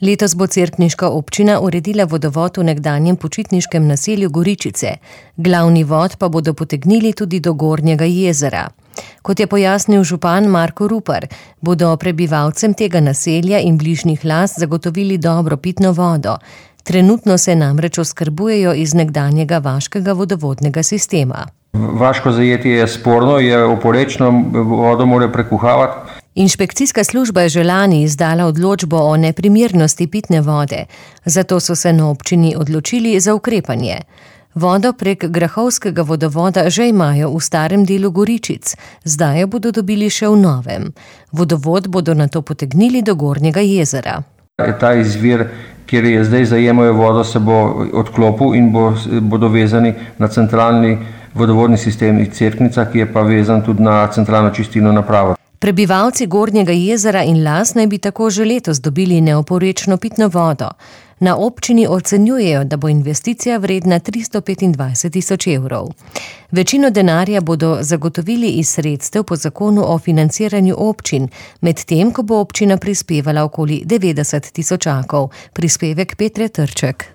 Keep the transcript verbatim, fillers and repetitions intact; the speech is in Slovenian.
Letos bo cerkniška občina uredila vodovod v nekdanjem počitniškem naselju Goričice. Glavni vod pa bodo potegnili tudi do Gornjega jezera. Kot je pojasnil župan Marko Rupar, bodo prebivalcem tega naselja in bližnjih las zagotovili dobro pitno vodo. Trenutno se namreč oskrbujejo iz nekdanjega vaškega vodovodnega sistema. Vaško zajetje je sporno, je oporečno, vodo mora prekuhavati. Inšpekcijska služba je že lani izdala odločbo o neprimernosti pitne vode, zato so se na občini odločili za ukrepanje. Vodo prek grahovskega vodovoda že imajo v starem delu Goričic, zdaj jo bodo dobili še v novem. Vodovod bodo nato potegnili do Gornjega jezera. Ta izvir, kjer je zdaj zajemajo vodo, se bo odklopil in bo, bodo vezani na centralni vodovodni sistem iz Cerknica, ki je pa vezan tudi na centralno čistilno napravo. Prebivalci Gornjega jezera in las naj bi tako že letos dobili neoporečno pitno vodo. Na občini ocenjujejo, da bo investicija vredna tristo petindvajset tisoč evrov. Večino denarja bodo zagotovili iz sredstev po zakonu o financiranju občin, medtem ko bo občina prispevala okoli devetdeset tisočakov, prispevek Petre Trček.